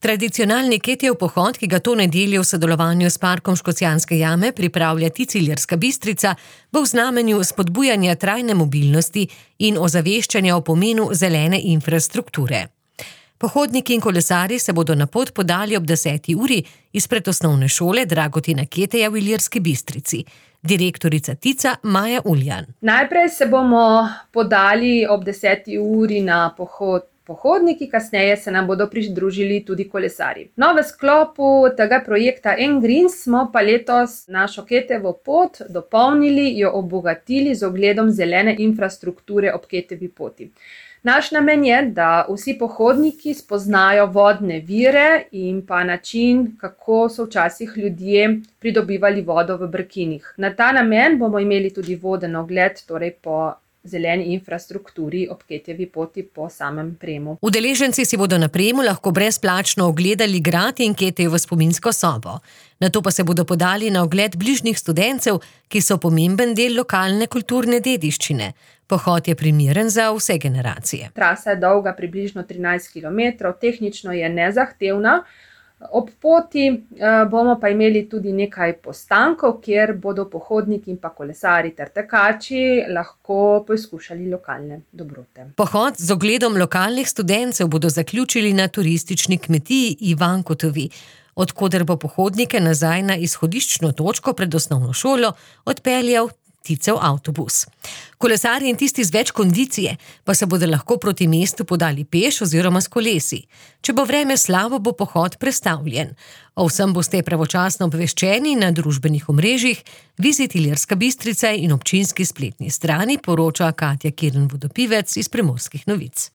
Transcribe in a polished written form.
Tradicionalni Ketijev pohod, ki ga to nedeljo v sodelovanju s Parkom Škocjanske jame pripravlja Ilirska Bistrica, bo v znamenju spodbujanja trajne mobilnosti in ozaveščanja o pomenu zelene infrastrukture. Pohodniki in kolesarji se bodo na pot podali ob 10. uri izpred osnovne šole Dragotina Keteja v Ilirski Bistrici. Direktorica Tica Maja Uljan. Najprej se bomo podali ob 10. uri na pohod pohodniki, kasneje se nam bodo pridružili tudi kolesarji. No, v sklopu tega projekta N-Greens smo pa letos našo Ketejevo pot dopolnili, jo obogatili z ogledom zelene infrastrukture ob Ketejevi poti. Naš namen je, da vsi pohodniki spoznajo vodne vire in pa način, kako so včasih ljudje pridobivali vodo v brkinih. Na ta namen bomo imeli tudi voden ogled, torej po zeleni infrastrukturi ob Ketejevi poti po samem Premu. Udeleženci si bodo na Premu lahko brezplačno ogledali grad in Ketejevo spominsko sobo. Nato pa se bodo podali na ogled bližnjih studencev, ki so pomemben del lokalne kulturne dediščine. Pohod je primeren za vse generacije. Trasa je dolga približno 13 km, tehnično je nezahtevna. Ob poti bomo pa imeli tudi nekaj postankov, kjer bodo pohodniki in pa kolesari ter tekači lahko poizkušali lokalne dobrote. Pohod z ogledom lokalnih studencev bodo zaključili na turistični kmetiji Ivankotovi, od koder bo pohodnike nazaj na izhodiščno točko pred osnovno šolo odpeljal Ticev avtobus. Kolesarji in tisti z več kondicije pa se bodo lahko proti mestu podali peš oziroma s kolesi. Če bo vreme slabo, bo pohod prestavljen. O vsem boste pravočasno obveščeni na družbenih omrežjih, Vizit Ilirska Bistrica in občinski spletni strani, poroča Katja Kirn Vodopivec iz Primorskih novic.